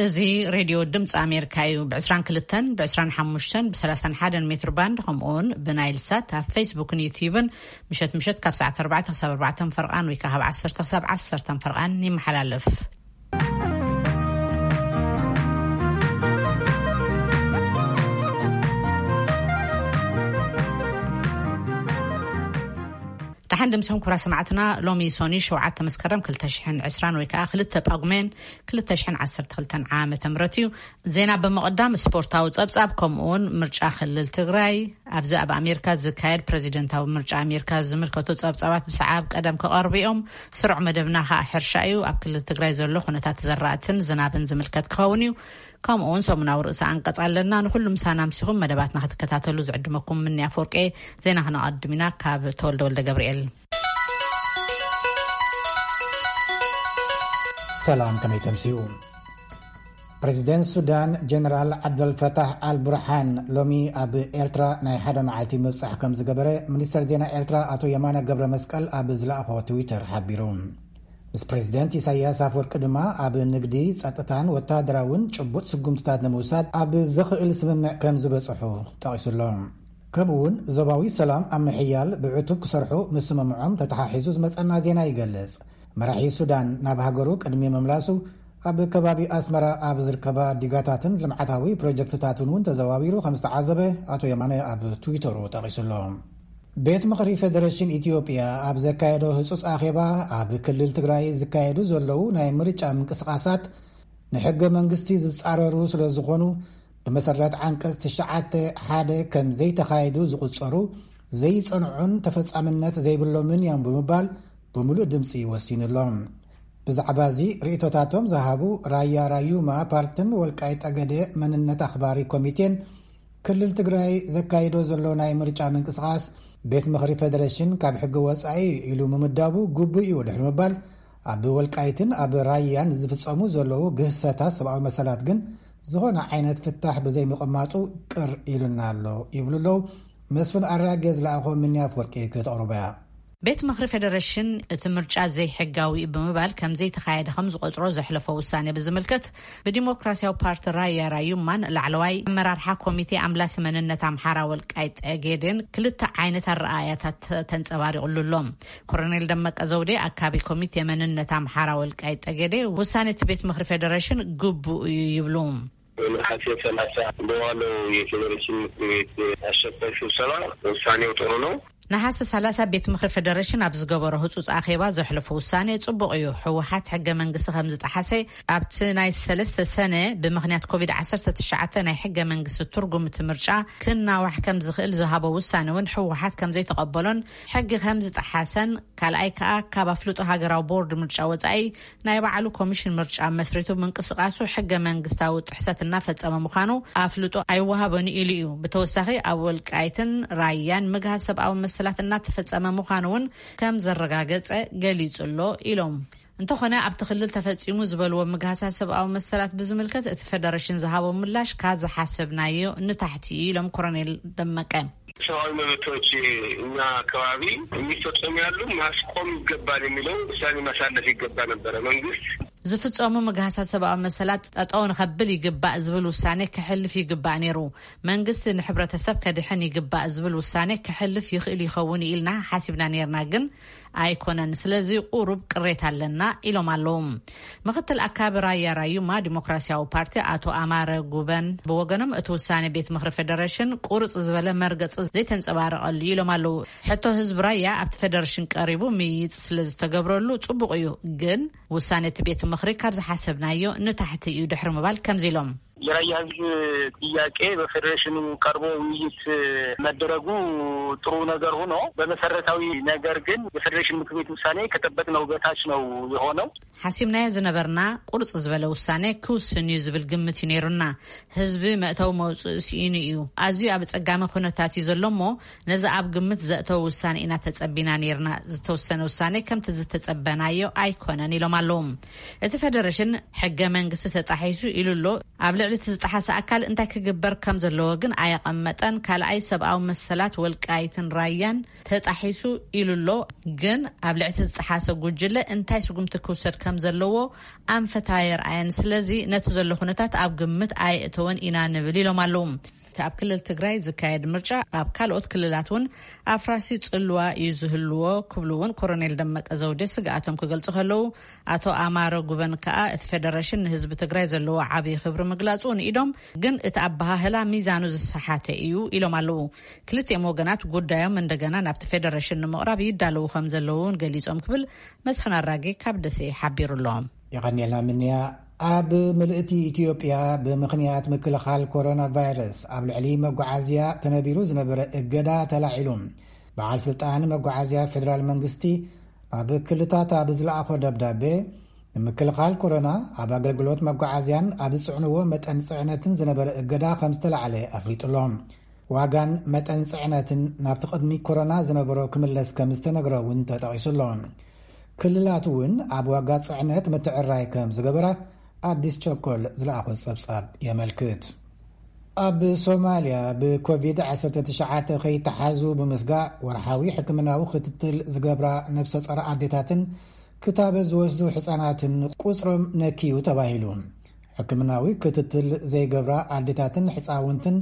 እዚ ሬድዮ ድምፂ ኣሜሪካ እዩ። ብ22፣ ብ25፣ ብ31 ሜትር ባንድ፣ ከምኡውን ብናይል ሳት ኣብ ፌስቡክን ዩትዩብን ምሸት ምሸት ካብ ሰዓት 4 ክሳብ 4 ፈርቓን ወይ ከዓ ካብ 10 ክሳብ 10 ፈርቓን ይመሓላለፍ። ደሓን ድምስኹም ክቡራት ሰማዕትና። ሎሚ ሶኒ 7 መስከረም 2020 ወይ ከዓ 2 ጳጉሜን 2012 ዓመተ ምህረት እዩ። ዜና ብምቕዳም ስፖርታዊ ጸብጻብ፣ ከምኡ እውን ምርጫ ክልል ትግራይ፣ ኣብዚ ኣብ ኣሜሪካ ዝካየድ ፕሬዚደንታዊ ምርጫ ኣሜሪካ ዝምልከቱ ጸብጻባት ብሰዓብ ቀደም ክቐርቡ እዮም። ስሩዕ መደብና ከዓ ሕርሻ እዩ። ኣብ ክልል ትግራይ ዘሎ ኩነታት ዘራእትን ዝናብን ዝምልከት ክኸውን እዩ። ከምኡ እውን ሰሙናዊ ርእሰ ኣንቀጽ ኣለና። ንኹሉ ምሳና ኣምሲኹም መደባትና ክትከታተሉ ዝዕድመኩም ምንያ ፎርቄ። ዜና ክነቐድም ኢና ካብ ተወልደ ወልደ ገብርኤል። ሰላም፣ ከመይ ተምስዩ? ፕሬዚደንት ሱዳን ጀነራል ዓብደልፈታሕ ኣልቡርሓን ሎሚ ኣብ ኤርትራ ናይ ሓደ መዓልቲ ምብጻሕ ከም ዝገበረ ሚኒስተር ዜና ኤርትራ ኣቶ የማነ ገብረ መስቀል ኣብ ዝለኣኾ ትዊተር ሓቢሩ። ምስ ፕሬዚደንት ኢሳያስ ኣፈወርቂ ድማ ኣብ ንግዲ፣ ጸጥታን ወተሃደራውን ጭቡጥ ስጉምትታት ንምውሳድ ኣብ ዘኽእል ስምምዕ ከም ዝበጽሑ ጠቒሱሎ። ከምኡ እውን ዞባዊ ሰላም ኣብ ምሕያል ብዕቱብ ክሰርሑ ምስምምዖም ተተሓሒዙ ዝመጸና ዜና ይገልጽ። መራሒ ሱዳን ናብ ሃገሩ ቅድሚ ምምላሱ ኣብ ከባቢ ኣስመራ ኣብ ዝርከባ ዲጋታትን ልምዓታዊ ፕሮጀክትታትን እውን ተዘዋዊሩ ከም ዝተዓዘበ ኣቶ የማነ ኣብ ትዊተሩ ጠቒሱሎ። ቤት ምኽሪ ፌደሬሽን ኢትዮጵያ ኣብ ዘካየዶ ህጹጽ ኣኼባ ኣብ ክልል ትግራይ ዝካየዱ ዘለዉ ናይ ምርጫ ምንቅስቓሳት ንሕገ መንግስቲ ዝጻረሩ ስለ ዝኾኑ ብመሰረት ዓንቀጽ 9(1) ከም ዘይተኻየዱ ዝቑጸሩ ዘይጸንዑን ተፈጻምነት ዘይብሎምን እዮም ብምባል ብምሉእ ድምፂ ወሲኑሎም። ብዛዕባ እዚ ርእቶታቶም ዝሃቡ ራያ ራዩማ ፓርትን ወልቃይ ጠገዴ መንነት ኣኽባሪ ኮሚቴን ክልል ትግራይ ዘካይዶ ዘሎ ናይ ምርጫ ምንቅስቓስ ቤት ምኽሪ ፌደሬሽን ካብ ሕጊ ወፃኢ ኢሉ ምምዳቡ ግቡእ እዩ ድሕሪ ምባል ኣብ ወልቃይትን ኣብ ራያን ዝፍፀሙ ዘለዉ ግህሰታት ሰብኣዊ መሰላት ግን ዝኾነ ዓይነት ፍታሕ ብዘይምቕማጡ ቅር ኢሉና ኣሎ ይብሉ ኣለዉ። መስፍን ኣራጌ ዝለኣኾ ምንያ ኣፍወርቂ ክተቕርቦ እያ። ቤት ምኽሪ ፌደሬሽን እቲ ምርጫ ዘይሕጋዊ እዩ ብምባል ከም ዘይተኻየደ ከም ዝቆጽሮ ዘሕለፎ ውሳኔ ብዝምልከት ብዲሞክራሲያዊ ፓርቲ ራያ ራዩማን ላዕለዋይ ኣመራርሓ ኮሚቴ ኣምላሲ መንነት ኣምሓራ ወልቃይ ጠጌዴን ክልተ ዓይነት ኣረኣእያታት ተንጸባሪቑሉ ኣሎ። ኮሎኔል ደመቀ ዘውዴ ኣካቢ ኮሚቴ መንነት ኣምሓራ ወልቃይ ጠጌዴ ውሳኔ እቲ ቤት ምኽሪ ፌደሬሽን ግቡእ እዩ ይብሉ። ነሐሴ 30 በዋለው የፌዴሬሽን ምክር ቤት አስቸኳይ ስብሰባ ውሳኔው ጥሩ ነው። ነሐሴ 30 ቤት ምኽሪ ፌደሬሽን ኣብ ዝገበሮ ህጹጽ ኣኼባ ዘሕለፎ ውሳኔ ጽቡቕ እዩ። ህወሓት ሕገ መንግስቲ ከም ዝጠሓሰ ኣብቲ ናይ ሰለስተ ሰነ ብምኽንያት ኮቪድ-19 ናይ ሕገ መንግስቲ ትርጉም እቲ ምርጫ ክናዋሕ ከም ዝኽእል ዝሃቦ ውሳኔ እውን ህወሓት ከም ዘይተቐበሎን ሕጊ ከም ዝጠሓሰን ካልኣይ ከኣ ካብ ኣፍልጦ ሃገራዊ ቦርድ ምርጫ ወጻኢ ናይ ባዕሉ ኮሚሽን ምርጫ መስሪቱ ምንቅስቃሱ ሕገ መንግስታዊ ጥሕሰት እናፈጸመ ምዃኑ ኣፍልጦ ኣይወሃበን ኢሉ እዩ። ብተወሳኺ ኣብ ወልቃይትን ራያን ምግሃስ ሰብኣዊ መሰላት እናተፈጸመ ምዃኑ እውን ከም ዘረጋገጸ ገሊጹ ኣሎ ኢሎም። እንተኾነ ኣብቲ ክልል ተፈጺሙ ዝበልዎ ምግሃሳት ሰብኣዊ መሰላት ብዝምልከት እቲ ፌደሬሽን ዝሃቦ ምላሽ ካብ ዝሓሰብናዮ ንታሕቲ እዩ ኢሎም ኮሎኔል ደመቀ። ሰብአዊ መብቶች እኛ አካባቢ የሚፈጸሙ ያሉ ማስቆም ይገባል የሚለው ውሳኔ ማሳለፍ ይገባ ነበረ። መንግስት ዝፍጸሙ ምግሃሳት ሰብኣዊ መሰላት ጠጠው ንኸብል ይግባእ ዝብል ውሳኔ ክሕልፍ ይግባእ ነይሩ። መንግስቲ ንሕብረተሰብ ከድሕን ይግባእ ዝብል ውሳኔ ክሕልፍ ይኽእል ይኸውን ኢልና ሓሲብና ነይርና፣ ግን ኣይኮነን። ስለዚ ቁሩብ ቅሬታ ኣለና ኢሎም ኣለዉ። ምክትል ኣካቢ ራያ ራዩማ ዲሞክራሲያዊ ፓርቲ ኣቶ ኣማረ ጉበን ብወገኖም እቲ ውሳኔ ቤት ምኽሪ ፌደሬሽን ቁርጽ ዝበለ መርገጺ ዘይተንጸባረቐሉ ኢሎም ኣለዉ። ሕቶ ህዝቢ ራያ ኣብቲ ፌደሬሽን ቀሪቡ ምይይጥ ስለ ዝተገብረሉ ጽቡቕ እዩ፣ ግን ውሳኔ እቲ ቤት ምኽሪ ካብ ዝሓሰብናዮ ንታሕቲ እዩ ድሕሪ ምባል ከምዚ ኢሎም። የራያ ህዝብ ጥያቄ በፌዴሬሽኑ ቀርቦ ውይይት መደረጉ ጥሩ ነገር ሆኖ በመሰረታዊ ነገር ግን የፌዴሬሽን ምክር ቤት ውሳኔ ከጠበቅነው በታች ነው የሆነው። ሓሲብናዮ ዝነበርና ቁርጽ ዝበለ ውሳኔ ክውስን እዩ ዝብል ግምት እዩ ነይሩና። ህዝቢ መእተዊ መውፅኢ ስኢኑ እዩ። ኣዝዩ ኣብ ጸጋሚ ኩነታት እዩ ዘሎ እሞ ነዚ ኣብ ግምት ዘእተው ውሳኔ ኢና ተጸቢና ነይርና። ዝተወሰነ ውሳኔ ከምቲ ዝተጸበናዮ ኣይኮነን ኢሎም ኣለዉ። እቲ ፌደሬሽን ሕገ መንግስቲ ተጣሒሱ ኢሉ ኣሎ። ኣብ ልዕሊ እቲ ዝጠሓሰ ኣካል እንታይ ክግበር ከም ዘለዎ ግን ኣየቐመጠን። ካልኣይ፣ ሰብኣዊ መሰላት ወልቃይትን ራያን ተጣሒሱ ኢሉ ኣሎ። ግን ኣብ ልዕሊ እቲ ዝጠሓሰ ጉጅለ እንታይ ስጉምቲ ክውሰድ ከም ዘለዎ ኣንፈት ኣየርኣየን። ስለዚ ነቲ ዘሎ ኩነታት ኣብ ግምት ኣየእተወን ኢና ንብል ኢሎም ኣለዉ። እቲ ኣብ ክልል ትግራይ ዝካየድ ምርጫ ኣብ ካልኦት ክልላት እውን ኣፍራሲ ጽልዋ እዩ ዝህልዎ ክብሉ እውን ኮሎኔል ደመቀ ዘውዴ ስግኣቶም ክገልጹ ከለዉ፣ ኣቶ ኣማረ ጉበን ከኣ እቲ ፌደሬሽን ንህዝቢ ትግራይ ዘለዎ ዓብዪ ክብሪ ምግላጹ ንኢዶም፣ ግን እቲ ኣበሃህላ ሚዛኑ ዝሰሓተ እዩ ኢሎም ኣለዉ። ክልቲኦም ወገናት ጉዳዮም እንደገና ናብቲ ፌደሬሽን ንምቕራብ ይዳለዉ ከም ዘለዉ እውን ገሊጾም ክብል መስፍን ኣራጌ ካብ ደሴ ሓቢሩ ኣሎ። የቐንየልና ምንያ። ኣብ ምልእቲ ኢትዮጵያ ብምኽንያት ምክልኻል ኮሮና ቫይረስ ኣብ ልዕሊ መጓዓዝያ ተነቢሩ ዝነበረ እገዳ ተላዒሉ። በዓል ስልጣን መጓዓዝያ ፌደራል መንግስቲ ኣብ ክልታት ኣብ ዝለኣኾ ደብዳቤ፣ ንምክልኻል ኮሮና ኣብ ኣገልግሎት መጓዓዝያን ኣብ ዝጽዕንዎ መጠን ጽዕነትን ዝነበረ እገዳ ከም ዝተላዕለ ኣፍሊጡ ኣሎ። ዋጋን መጠን ጽዕነትን ናብቲ ቅድሚ ኮሮና ዝነበሮ ክምለስ ከም ዝተነግረ እውን ተጠቒሱ ኣሎ። ክልላት እውን ኣብ ዋጋ ጽዕነት ምትዕራይ ከም ዝገበራ ኣዲስ ቸኮል ዝለኣኾ ጸብጻብ የመልክት። ኣብ ሶማልያ ብኮቪድ ዓሰርተ ትሽዓተ ከይተሓዙ ብምስጋእ፣ ወርሓዊ ሕክምናዊ ክትትል ዝገብራ ነብሰ ጾር ኣዴታትን ክታበት ዝወስዱ ሕጻናትን ቁጽሮም ነክዩ ተባሂሉ። ሕክምናዊ ክትትል ዘይገብራ ኣዴታትን ሕጻውንትን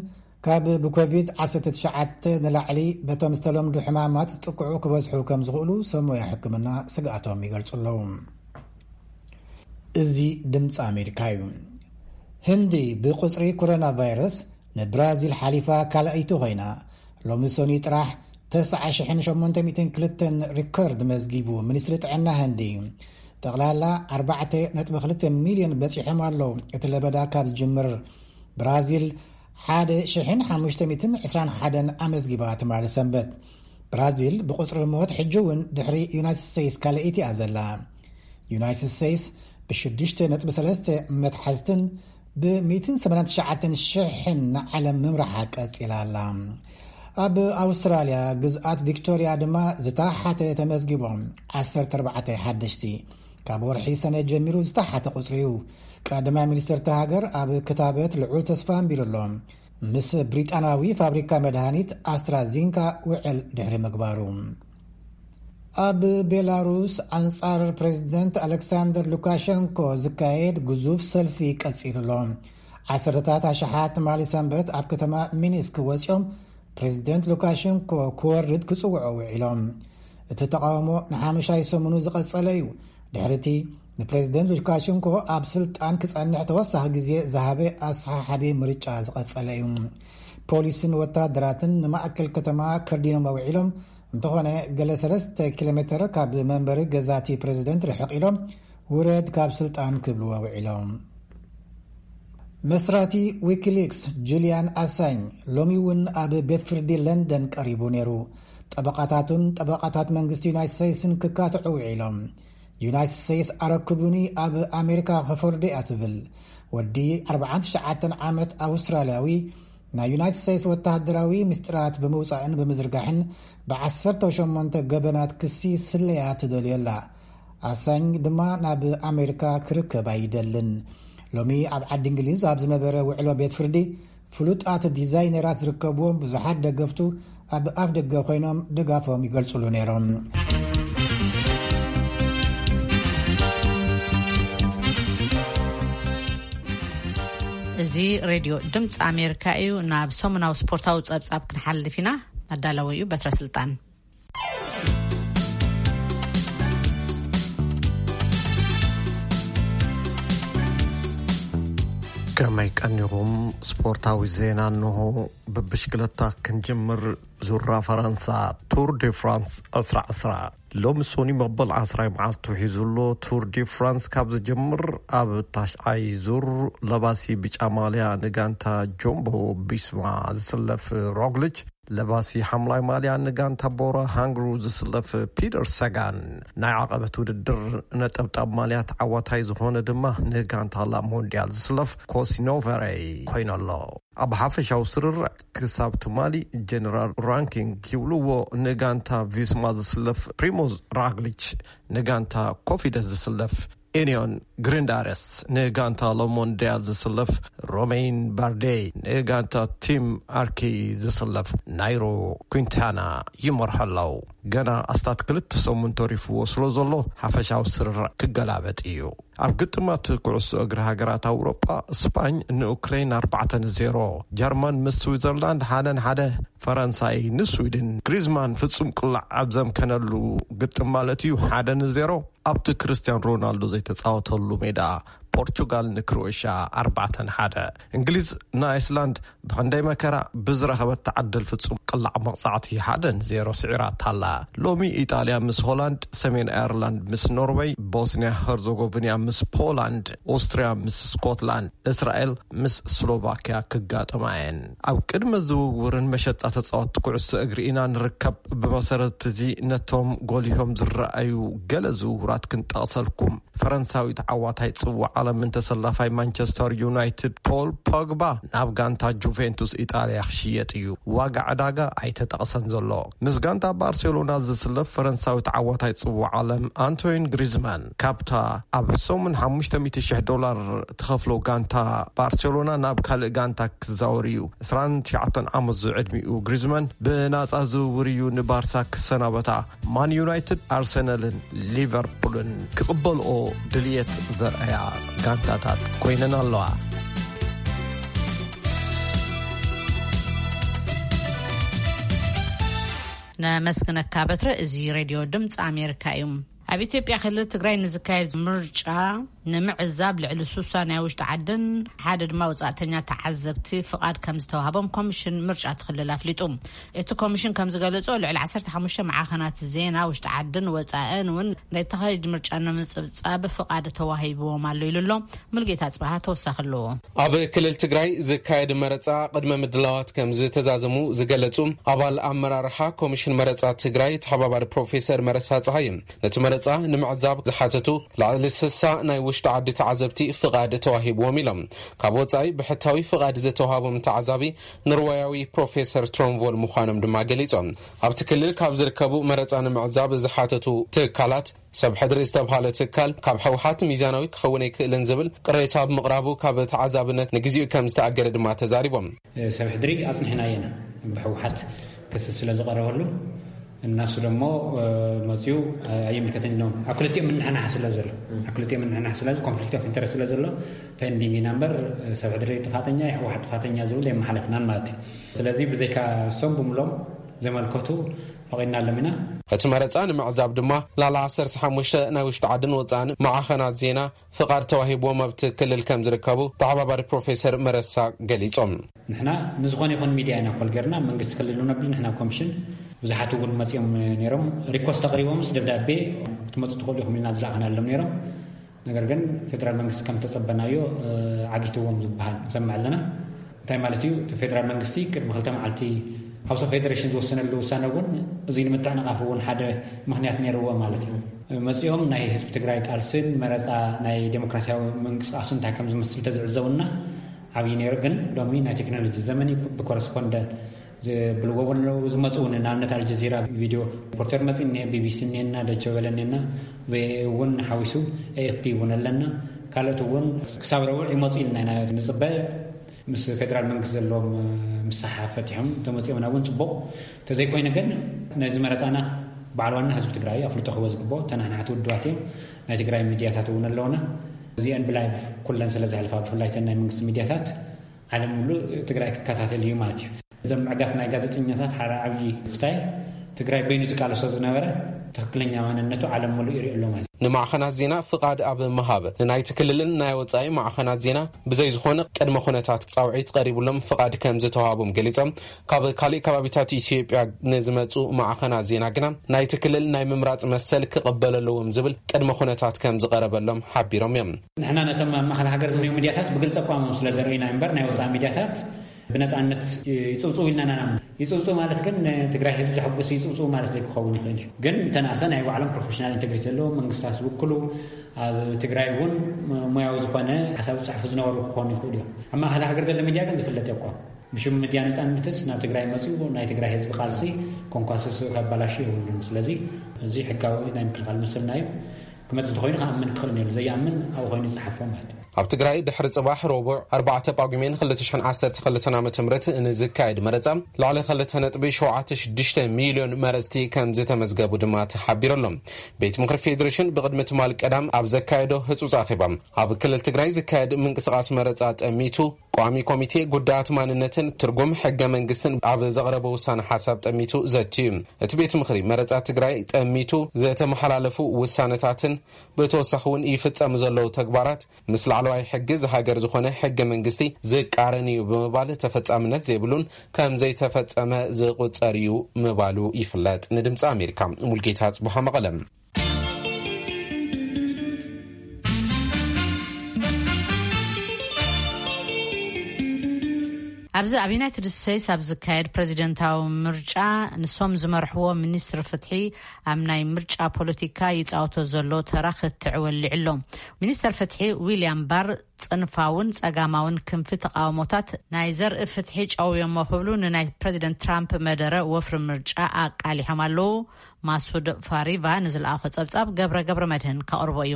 ካብ ብኮቪድ ዓሰርተ ትሽዓተ ንላዕሊ በቶም ዝተለምዱ ሕማማት ዝጥቅዑ ክበዝሑ ከም ዝኽእሉ ሰብ ሞያ ሕክምና ስግኣቶም ይገልጹ ኣለዉ። እዚ ድምፂ ኣሜሪካ እዩ። ህንዲ ብቁፅሪ ኮሮና ቫይረስ ንብራዚል ሓሊፋ ካልኣይቲ ኮይና፣ ሎሚ ሰኑይ ጥራሕ ተስዓ ሽሕን ሸሞንተ ሚእትን ክልተን ሪከርድ መዝጊቡ ሚኒስትሪ ጥዕና ህንዲ። ጠቕላላ ኣርባዕተ ነጥቢ ክልተ ሚልዮን በፂሖም ኣለዉ። እቲ ለበዳ ካብ ዝጅምር ብራዚል ሓደ ሽሕን ሓሙሽተ ሚእትን ዕስራን ሓደን ኣመዝጊባ ትማሊ ሰንበት። ብራዚል ብቁፅሪ ሞት ሕጂ እውን ድሕሪ ዩናይትድ ስቴትስ ካልኣይቲ እያ ዘላ። ዩናይትድ ስቴትስ ብሽዱሽተ ነጥቢ ሰለስተ መትሓዝትን ብሚእትን ሰማንያን ትሽዓተን ሽሕን ንዓለም ምምራሓ ቀፂላ ኣላ። ኣብ ኣውስትራልያ ግዝኣት ቪክቶርያ ድማ ዝተሓተ ተመዝጊቦም፣ ዓሰርተ ኣርባዕተ ሓደሽቲ። ካብ ወርሒ ሰነ ጀሚሩ ዝተሓተ ቁፅሪ እዩ። ቀዳማይ ሚኒስትር እታ ሃገር ኣብ ክታበት ልዑል ተስፋ ኣንቢሩ ኣሎ፣ ምስ ብሪጣናዊ ፋብሪካ መድሃኒት ኣስትራዚንካ ውዕል ድሕሪ ምግባሩ። ኣብ ቤላሩስ ኣንጻር ፕሬዚደንት ኣሌክሳንደር ሉካሸንኮ ዝካየድ ግዙፍ ሰልፊ ቀጺሉ ኣሎ። ዓሰርተታት ኣሽሓት ትማሊ ሰንበት ኣብ ከተማ ሚኒስክ ወጺኦም ፕሬዚደንት ሉካሸንኮ ክወርድ ክጽውዑ ውዒሎም። እቲ ተቓውሞ ንሓሙሻይ ሰሙኑ ዝቐጸለ እዩ። ድሕሪ እቲ ንፕሬዚደንት ሉካሸንኮ ኣብ ስልጣን ክጸንሕ ተወሳኺ ግዜ ዝሃበ ኣሰሓሓቢ ምርጫ ዝቐጸለ እዩ። ፖሊስን ወታደራትን ንማእከል ከተማ ከርዲኖም ኣውዒሎም፣ እንተኾነ ገለ ሰለስተ ኪሎ ሜተር ካብ መንበሪ ገዛ እቲ ፕሬዚደንት ርሕቕ ኢሎም፣ ውረድ ካብ ስልጣን ክብልዎ ውዒሎም። መስራቲ ዊኪሊክስ ጁልያን ኣሳኝ ሎሚ እውን ኣብ ቤት ፍርዲ ለንደን ቀሪቡ ነይሩ። ጠበቓታቱን ጠበቓታት መንግስቲ ዩናይትድ ስቴትስን ክካትዑ ውዒሎም። ዩናይትድ ስቴትስ ኣረክቡኒ፣ ኣብ ኣሜሪካ ክፈርዶ እያ ትብል። ወዲ ኣርባዓን ትሽዓተን ዓመት ኣውስትራልያዊ ናይ ዩናይትድ ስቴትስ ወታደራዊ ምስጢራት ብምውጻእን ብምዝርጋሕን ብዓሰርተ ሸሞንተ ገበናት ክሲ ስለያ ትደልዮ ኣላ። ኣሳኝ ድማ ናብ ኣሜሪካ ክርከብ ኣይደልን። ሎሚ ኣብ ዓዲ እንግሊዝ ኣብ ዝነበረ ውዕሎ ቤት ፍርዲ፣ ፍሉጣት ዲዛይነራት ዝርከብዎም ብዙሓት ደገፍቱ ኣብ ኣፍ ደገ ኮይኖም ድጋፎም ይገልጹሉ ነይሮም። እዚ ሬድዮ ድምፂ ኣሜሪካ እዩ። ናብ ሰሙናዊ ስፖርታዊ ጸብጻብ ክንሓልፍ ኢና። ኣዳላዊ እዩ በትረ ስልጣን። ከመይ ቀኒኹም? ስፖርታዊ ዜና እንሆ። ብብሽክለታ ክንጅምር። ዙራ ፈረንሳ፣ ቱር ዲ ፍራንስ ዕስራ ዕስራ። ሎሚ ሶኒ መበል ዓስራይ መዓልቱ ሒዙ ኣሎ። ቱር ዲ ፍራንስ ካብ ዝጅምር፣ ኣብ ታሽዓይ ዙር ለባሲ ብጫ ማልያ ንጋንታ ጆምቦ ቢስማ ዝስለፍ ሮግሊች፣ ለባሲ ሓምላይ ማልያ ንጋንታ ቦራ ሃንግሩ ዝስለፍ ፒተር ሰጋን፣ ናይ ዓቐበት ውድድር ነጠብጣብ ማልያ ተዓዋታይ ዝኾነ ድማ ንጋንታ ላ ሞንዲያል ዝስለፍ ኮሲኖቨሬ ኮይኑ ኣሎ። ኣብ ሓፈሻዊ ስርርዕ ክሳብ ትማሊ ጀነራል ራንኪንግ ይብልዎ፣ ንጋንታ ቪስማ ዝስለፍ ፕሪሞዝ ራግሊች፣ ንጋንታ ኮፊደስ ዝስለፍ ኤኒዮን ግሪንዳረስ ንጋንታ ሎሞንዲያል ዝስለፍ፣ ሮሜን ባርዴ ንጋንታ ቲም ኣርኪ ዝስለፍ፣ ናይሮ ኩንታና ይመርሖ ኣለዉ። ገና ኣስታት ክልተ ሰሙን ተሪፍዎ ስለ ዘሎ፣ ሓፈሻዊ ስርርዕ ክገላበጥ እዩ። ኣብ ግጥማት ኩዕሶ እግሪ ሃገራት ኣውሮጳ፣ ስፓኝ ንኡክሬን ኣርባዕተ ንዜሮ፣ ጀርመን ምስ ስዊዘርላንድ ሓደ ንሓደ፣ ፈረንሳይ ንስዊድን፣ ግሪዝማን ፍጹም ቅላዕ ኣብ ዘምከነሉ ግጥም ማለት እዩ፣ ሓደ ንዜሮ ኣብቲ ክርስቲያን ሮናልዶ ዘይተጻወተሉ ሜዳ፣ ፖርቹጋል ንክሮኤሽያ ኣርባዕተ ንሓደ። እንግሊዝ ንኣይስላንድ ብኽንደይ መከራ ብዝረኸበት ተዓደል ፍጹም ቅላዕ መቕጻዕቲ ሓደ ንዜሮ ስዒራታ ኣላ። ሎሚ ኢጣልያ ምስ ሆላንድ፣ ሰሜን ኣየርላንድ ምስ ኖርወይ፣ ቦስንያ ኸርዞጎቪንያ ምስ ፖላንድ፣ ኦስትርያ ምስ ስኮትላንድ፣ እስራኤል ምስ ስሎቫክያ ክጋጠማ እየን። ኣብ ቅድመ ዝውውርን መሸጣ ተጻወትቲ ኩዕሶ እግሪ ኢና ንርከብ። ብመሰረት እዚ ነቶም ጎሊሆም ዝረኣዩ ገለ ዝውውራት ክንጠቕሰልኩም። ፈረንሳዊ ተዓዋታይ ጽዋዕ ዓለምን ተሰላፋይ ማንቸስተር ዩናይትድ ፖል ፖግባ ናብ ጋንታ ጁቬንቱስ ኢጣልያ ክሽየጥ እዩ። ዋጋ ዕዳጋ ኣይተጠቕሰን ዘሎ። ምስ ጋንታ ባርሴሎና ዝስለፍ ፈረንሳዊ ተዓዋታይ ጽዋዕ ዓለም ኣንቶይን ግሪዝማን ካብታ ኣብ ሰሙን ሓሙሽተ ሚእቲ ሽሕ ዶላር ትኸፍሎ ጋንታ ባርሴሎና ናብ ካልእ ጋንታ ክዛወር እዩ። ዕስራን ትሽዓተን ዓመት ዝዕድሚኡ ግሪዝማን ብናጻ ዝውውር እዩ ንባርሳ ክሰናበታ። ማን ዩናይትድ፣ ኣርሰናልን ሊቨርፑልን ክቕበልኦ ድልየት ዘርኣያ ጋንታታት ኮይነን ኣለዋ። ነመስግነካ በትረ። እዚ ሬድዮ ድምፂ ኣሜሪካ እዩ። ኣብ ኢትዮጵያ ክልል ትግራይ ንዝካየድ ምርጫ ንምዕዛብ ልዕሊ ሱሳ ናይ ውሽጢ ዓድን ሓደ ድማ ወጻእተኛ ተዓዘብቲ ፍቓድ ከም ዝተዋህቦም ኮሚሽን ምርጫ እቲ ክልል ኣፍሊጡ። እቲ ኮሚሽን ከም ዝገለጾ፣ ልዕሊ ዓሰርተ ሓሙሽተ መዓኸናት ዜና ውሽጢ ዓድን ወጻእን እውን ናይ ተኻይድ ምርጫ ንምጽብጻብ ፍቓድ ተዋሂብዎም ኣሎ ኢሉ ኣሎ። ሙልጌታ ጽባሃ ተወሳኺ ኣለዎ። ኣብ ክልል ትግራይ ዝካየድ መረጻ ቅድመ ምድላዋት ከም ዝተዛዘሙ ዝገለጹ ኣባል ኣመራርሓ ኮሚሽን መረጻ ትግራይ ተሓባባሪ ፕሮፌሰር መረሳ ጸሃየ፣ ነቲ መረጻ ንምዕዛብ ዝሓተቱ ልዕሊ ስሳ ናይ ውሽጢ ዓዲ ተዓዘብቲ ፍቓድ ተዋሂብዎም ኢሎም። ካብ ወጻኢ ብሕታዊ ፍቓድ ዝተዋሃቦም ተዓዛቢ ኖርወያዊ ፕሮፌሰር ትሮንቮል ምዃኖም ድማ ገሊጾም። ኣብቲ ክልል ካብ ዝርከቡ መረጻ ንምዕዛብ ዝሓተቱ ትካላት፣ ሰብ ሕድሪ ዝተብሃለ ትካል ካብ ህወሓት ሚዛናዊ ክኸውን ኣይክእልን ዝብል ቅሬታ ብምቕራቡ ካብ ተዓዛብነት ንግዚኡ ከም ዝተኣገደ ድማ ተዛሪቦም። ሰብ ሕድሪ ኣጽኒሕናዮ ኢና፣ ብህወሓት ክሲ ስለ ዝቐረበሉ፣ እናሱ ደሞ መፅዩ ኣይምልከተን ኢሎም ኣብ ክልቲኦም ምንሕናሕ ስለ ዘሎ፣ ኣብ ክልቲኦም ምንሕናሕ ስለ፣ ኮንፍሊክት ኦፍ ኢንተረስት ስለ ዘሎ ፔንዲንግ ኢና እምበር፣ ሰብ ሕድሪ ጥፋተኛ፣ የህወሓት ጥፋተኛ ዝብል የመሓለፍናን ማለት እዩ። ስለዚ ብዘይካ እሶም ብምሎም ዘመልከቱ ፈቒድናሎም ኢና። እቲ መረፃ ንምዕዛብ ድማ ላላ ዓሰርተ ሓሙሽተ ናይ ውሽጢ ዓድን ወፃእን ማዕኸናት ዜና ፍቓድ ተዋሂብዎም ኣብቲ ክልል ከም ዝርከቡ ተሓባባሪ ፕሮፌሰር መረሳ ገሊጾም። ንሕና ንዝኾነ ይኹን ሚድያ ኢና ኮል ጌርና፣ መንግስቲ ክልል እውን ኣብሉ፣ ንሕና ኮሚሽን ብዙሓት እውን መፂኦም ነይሮም፣ ሪኮስት ኣቕሪቦምስ ደብዳቤ ክትመፁ ትኽእሉ ኢኹም ኢልና ዝለኣኽናሎም ነይሮም። ነገር ግን ፌደራል መንግስቲ ከም ተጸበናዮ፣ እ፣ ዓጊትዎም ዝበሃል ንሰምዕ ኣለና። እንታይ ማለት እዩ? እቲ ፌደራል መንግስቲ ቅድሚ ክልተ መዓልቲ ሃውስ ኦፍ ፌደሬሽን ዝወሰነሉ ውሳነ እውን እዚ ንምትዕንቓፍ እውን ሓደ ምኽንያት ነይርዎ ማለት እዩ። መጺኦም ናይ ህዝቢ ትግራይ ቃልስን መረጻ ናይ ዴሞክራሲያዊ ምንቅስቃሱ እንታይ ከም ዝመስል ተዝዕዘቡና ዓብዪ ነይሩ። ግን ሎሚ ናይ ቴክኖሎጂ ዘመን እዩ። ብኮረስፖንደንት ዝብልዎ እውን ኣለዉ። ዝመፁ እውን ንኣብነት ኣልጀዚራ ቪድዮ ሪፖርተር መፂ እኒአ፣ ቢቢሲ እኒአና፣ ደቸ በለ እኒአና፣ ቪኦኤ እውን ሓዊሱ ኤኤፍፒ እውን ኣለና። ካልኦት እውን ክሳብ ረቡዕ ይመፁ ኢልና ኢና ንፅበ። ምስ ፌደራል መንግስቲ ዘለዎም ምሳሓ ፈቲሖም ተመፂኦምና እውን ፅቡቕ። ተዘይኮይነ ግን ነዚ መረፃና በዓል ዋና ህዝቢ ትግራይ ኣፍልጦ ክህቦ ዝግብኦ። ተናሕናሕቲ ውድባት እዮም። ናይ ትግራይ ሚድያታት እውን ኣለውና። እዚአን ብላይቭ ኩለን ስለ ዘሕልፋ ብፍላይ ተን ናይ መንግስቲ ሚድያታት ዓለም ሙሉእ ትግራይ ክከታተል እዩ ማለት እዩ። እዞም ምዕጋት ናይ ጋዜጠኛታት ሓደ ዓብዪ ክስታይ ትግራይ በይኑ ዝቃለሶ ዝነበረ ትኽክለኛ ማንነቱ ዓለም ሙሉእ ይሪኦ ኣሎ ማለት እዩ። ንማዕኸናት ዜና ፍቓድ ኣብ ምሃብ ንናይቲ ክልልን ናይ ወጻኢ ማዕኸናት ዜና ብዘይ ዝኾነ ቅድመ ኩነታት ጻውዒት ቀሪቡሎም ፍቓድ ከም ዝተዋሃቦም ገሊጾም፣ ካብ ካሊእ ከባቢታት ኢትዮጵያ ንዝመጹ ማዕኸናት ዜና ግና ናይቲ ክልል ናይ ምምራጽ መሰል ክቕበል ኣለዎም ዝብል ቅድመ ኩነታት ከም ዝቐረበሎም ሓቢሮም እዮም። ንሕና ነቶም ኣብ ማእኸል ሃገር ዝኒኦ ሚድያታት ብግልፂ ኣቋሞም ስለ ዘርእዩና እምበር ናይ ወፃኢ ሚድያታት ብነፃነት ይፅውፅው ኢልና ኢና። ይፅውፅው ማለት ግን ንትግራይ ህዝቢ ዘሐጉስ ይፅውፅው ማለት ዘይክኸውን ይኽእል እዩ። ግን እንተነኣሰ ናይ ባዕሎም ፕሮፌሽናል ኢንቴግሪቲ ዘለዎም መንግስታት ዝውክሉ ኣብ ትግራይ እውን ሞያዊ ዝኾነ ሓሳብ ዝፅሕፉ ዝነበሩ ክኾኑ ይኽእሉ እዮም። ኣብ ማእኸል ሃገር ዘሎ ሚድያ ግን ዝፍለጥ የቋም ብሽም ሚድያ ነፃነትስ ናብ ትግራይ መፂኡ ናይ ትግራይ ህዝቢ ቃልሲ ኮንኳስስ ከባላሹ የብሉን። ስለዚ እዚ ሕጋዊ ናይ ምክልኻል መሰልና እዩ። ክመጽእ እንተኾይኑ ክኣምን ክኽእል ነይሩ። ዘይኣምን ኣብኡ ኮይኑ ይጽሓፎ ማለት እዩ። ኣብ ትግራይ ድሕሪ ጽባሕ ረቡዕ ኣርባዕተ ጳጉሜን ክልተ ሽሕን ዓሰርተ ክልተን ዓመተ ምህረት ንዝካየድ መረጻ ልዕሊ ክልተ ነጥቢ ሸውዓተ ሽዱሽተ ሚልዮን መረጽቲ ከም ዝተመዝገቡ ድማ ተሓቢሩ ኣሎ። ቤት ምኽሪ ፌዴሬሽን ብቕድሚ ትማል ቀዳም ኣብ ዘካየዶ ህጹጽ ኣኼባ፣ ኣብ ክልል ትግራይ ዝካየድ ምንቅስቓስ መረጻ ጠሚቱ፣ ቋሚ ኮሚቴ ጉዳያት ማንነትን ትርጉም ሕገ መንግስትን ኣብ ዘቕረቦ ውሳነ ሓሳብ ጠሚቱ ዘትዩ። እቲ ቤት ምኽሪ መረጻ ትግራይ ጠሚቱ ዘተመሓላለፉ ውሳነታትን ብተወሳኺ እውን ይፍጸሙ ዘለዉ ተግባራት ምስ ላዕለዋይ ሕጊ ዝሃገር ዝኾነ ሕገ መንግስቲ ዝቃረን እዩ ብምባል ተፈጻምነት ዘይብሉን ከም ዘይተፈጸመ ዝቑጸር እዩ ምባሉ ይፍለጥ። ንድምፂ ኣሜሪካ ሙልጌታ ጽቡሃ መቐለም። ኣብዚ ኣብ ዩናይትድ ስቴትስ ኣብ ዝካየድ ፕሬዚደንታዊ ምርጫ ንሶም ዝመርሕዎ ሚኒስትሪ ፍትሒ ኣብ ናይ ምርጫ ፖለቲካ ይፃወቶ ዘሎ ተራ ክትዕ ወሊዑ ኣሎ። ሚኒስተር ፍትሒ ዊልያም ባር ጽንፋውን ጸጋማውን ክንፊ ተቃውሞታት ናይ ዘርኢ ፍትሒ ጨውዮሞ ክብሉ ንናይ ፕሬዚደንት ትራምፕ መደረ ወፍሪ ምርጫ ኣቃሊሖም ኣለዉ። ማሱድ ፋሪቫ ንዝለኣኾ ጸብጻብ ገብረ ገብረ መድህን ከቕርቦ እዩ።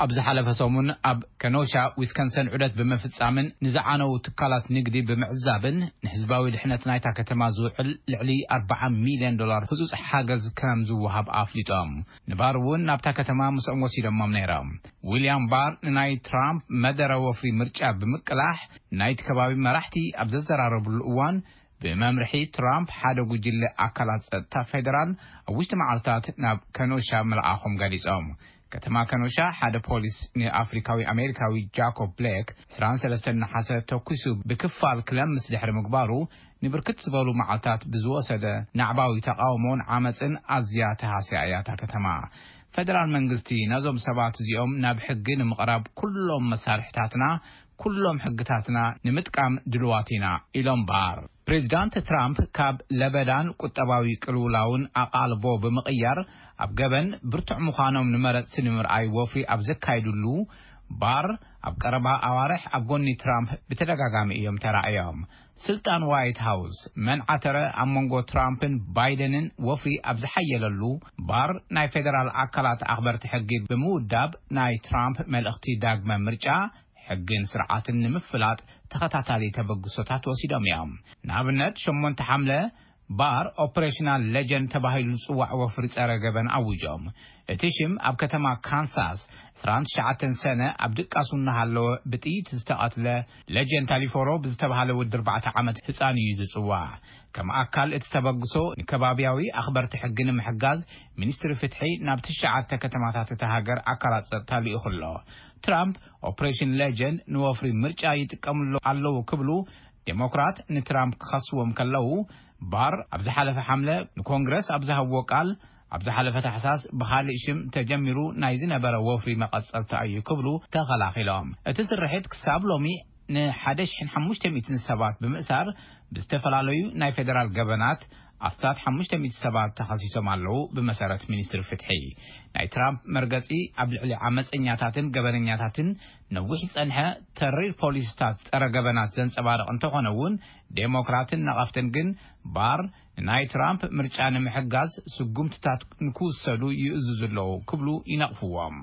ኣብ ዝሓለፈ ሰሙን ኣብ ከኖሻ ዊስከንሰን ዑደት ብምፍጻምን ንዝዓነዉ ትካላት ንግዲ ብምዕዛብን ንህዝባዊ ድሕነት ናይታ ከተማ ዝውዕል ልዕሊ ኣርባዓ ሚልዮን ዶላር ህጹጽ ሓገዝ ከም ዝወሃብ ኣፍሊጦም። ንባር እውን ናብታ ከተማ ምስኦም ወሲዶሞም ነይሮም። ዊልያም ባር ንናይ ትራምፕ መደረ ወፍሪ ምርጫ ብምቅላሕ ናይቲ ከባቢ መራሕቲ ኣብ ዘዘራረብሉ እዋን ብመምርሒ ትራምፕ ሓደ ጉጅለ ኣካላት ጸጥታ ፌደራል ኣብ ውሽጢ መዓልታት ናብ ከኖሻ ምልኣኾም ገሊጾም። ከተማ ከኖሻ ሓደ ፖሊስ ንኣፍሪካዊ ኣሜሪካዊ ጃኮብ ብሌክ ዕስራን ሰለስተን ነሓሰ ተኩሱ ብክፋል ክለምስ ድሕሪ ምግባሩ ንብርክት ዝበሉ መዓልታት ብዝወሰደ ናዕባዊ ተቃውሞን ዓመፅን ኣዝያ ተሃስያ እያ እታ ከተማ። ፌደራል መንግስቲ ነዞም ሰባት እዚኦም ናብ ሕጊ ንምቕራብ ኩሎም መሳርሕታትና፣ ኩሎም ሕግታትና ንምጥቃም ድልዋት ኢና ኢሎም ባር። ፕሬዚዳንት ትራምፕ ካብ ለበዳን ቁጠባዊ ቅልውላውን ኣቓልቦ ብምቕያር ኣብ ገበን ብርቱዕ ምዃኖም ንመረፅቲ ንምርኣይ ወፍሪ ኣብ ዘካይዱሉ ባር ኣብ ቀረባ ኣዋርሕ ኣብ ጎኒ ትራምፕ ብተደጋጋሚ እዮም ተራእዮም። ስልጣን ዋይት ሃውስ መን ዓተረ ኣብ መንጎ ትራምፕን ባይደንን ወፍሪ ኣብ ዝሓየለሉ ባር ናይ ፌደራል ኣካላት ኣኽበርቲ ሕጊ ብምውዳብ ናይ ትራምፕ መልእኽቲ ዳግመ ምርጫ ሕግን ስርዓትን ንምፍላጥ ተኸታታሊ ተበግሶታት ወሲዶም እዮም። ንኣብነት ሸሞንተ ሓምለ ባር ኦፕሬሽናል ሌጀንድ ተባሂሉ ዝጽዋዕ ወፍሪ ጸረ ገበን ኣውጆም። እቲ ሽም ኣብ ከተማ ካንሳስ ዕስራን ትሽዓተን ሰነ ኣብ ድቃሱ እናሃለወ ብጥይት ዝተቐትለ ሌጀንድ ታሊፎሮ ብዝተባሃለ ወዲ ኣርባዕተ ዓመት ህጻን እዩ ዝጽዋዕ። ከም ኣካል እቲ ተበግሶ ንከባቢያዊ ኣኽበርቲ ሕጊ ንምሕጋዝ ሚኒስትሪ ፍትሒ ናብ ትሽዓተ ከተማታት እታ ሃገር ኣካላት ጸጥታ ልኢኹ ኣሎ። ትራምፕ ኦፕሬሽን ሌጀንድ ንወፍሪ ምርጫ ይጥቀምሉ ኣለዉ ክብሉ ዴሞክራት ንትራምፕ ክኸስዎም ከለዉ፣ ባር ኣብ ዝሓለፈ ሓምለ ንኮንግረስ ኣብ ዝሃብዎ ቃል፣ ኣብ ዝሓለፈ ታሕሳስ ብኻሊእ ሽም ተጀሚሩ ናይ ዝነበረ ወፍሪ መቐጸልታ እዩ ክብሉ ተኸላኺሎም። እቲ ስርሒት ክሳብ ሎሚ ንሓደ ሽሕን ሓሙሽተ ሚእትን ሰባት ብምእሳር ብዝተፈላለዩ ናይ ፌደራል ገበናት ኣስታት ሓሙሽተ ሚእቲ ሰባት ተኸሲሶም ኣለዉ። ብመሰረት ሚኒስትሪ ፍትሒ፣ ናይ ትራምፕ መርገጺ ኣብ ልዕሊ ዓመፀኛታትን ገበነኛታትን ነዊሕ ዝጸንሐ ተሪር ፖሊሲታት ጸረ ገበናት ዘንጸባርቕ እንተኾነ እውን፣ ዴሞክራትን ነቐፍትን ግን ባር ንናይ ትራምፕ ምርጫ ንምሕጋዝ ስጉምትታት ንክውሰዱ ይእዝዙ ኣለዉ ክብሉ ይነቕፍዎም።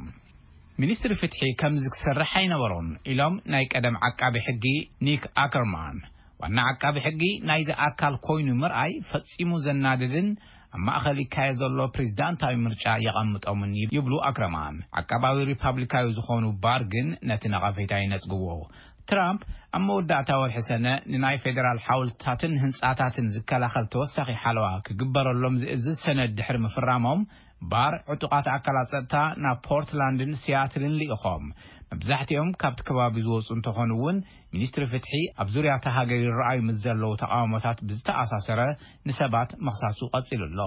ሚኒስትሪ ፍትሒ ከምዚ ክሰርሕ ኣይነበሮን ኢሎም ናይ ቀደም ዓቃቢ ሕጊ ኒክ ኣከርማን። ዋና ዓቃቢ ሕጊ ናይዚ ኣካል ኮይኑ ምርኣይ ፈጺሙ ዘናድድን ኣብ ማእኸል ይካየድ ዘሎ ፕሬዚዳንታዊ ምርጫ የቐምጦምን ይብሉ ኣክረማን። ዓቃባዊ ሪፓብሊካዊ ዝኾኑ ባር ግን ነቲ ነቐፌታ ይነጽግዎ። ትራምፕ ኣብ መወዳእታ ወርሒ ሰነ ንናይ ፌደራል ሓወልትታትን ህንጻታትን ዝከላኸል ተወሳኺ ሓለዋ ክግበረሎም ዝእዝዝ ሰነድ ድሕሪ ምፍራሞም፣ ባር ዕጡቓት ኣካላት ጸጥታ ናብ ፖርትላንድን ሲያትልን ልኢኾም። መብዛሕትኦም ካብቲ ከባቢ ዝወጹ እንተኾኑ እውን፣ ሚኒስትሪ ፍትሒ ኣብ ዙርያ እታ ሃገር ይረኣዩ ምስ ዘለዉ ተቓውሞታት ብዝተኣሳሰረ ንሰባት ምኽሳሱ ቀጺሉ ኣሎ።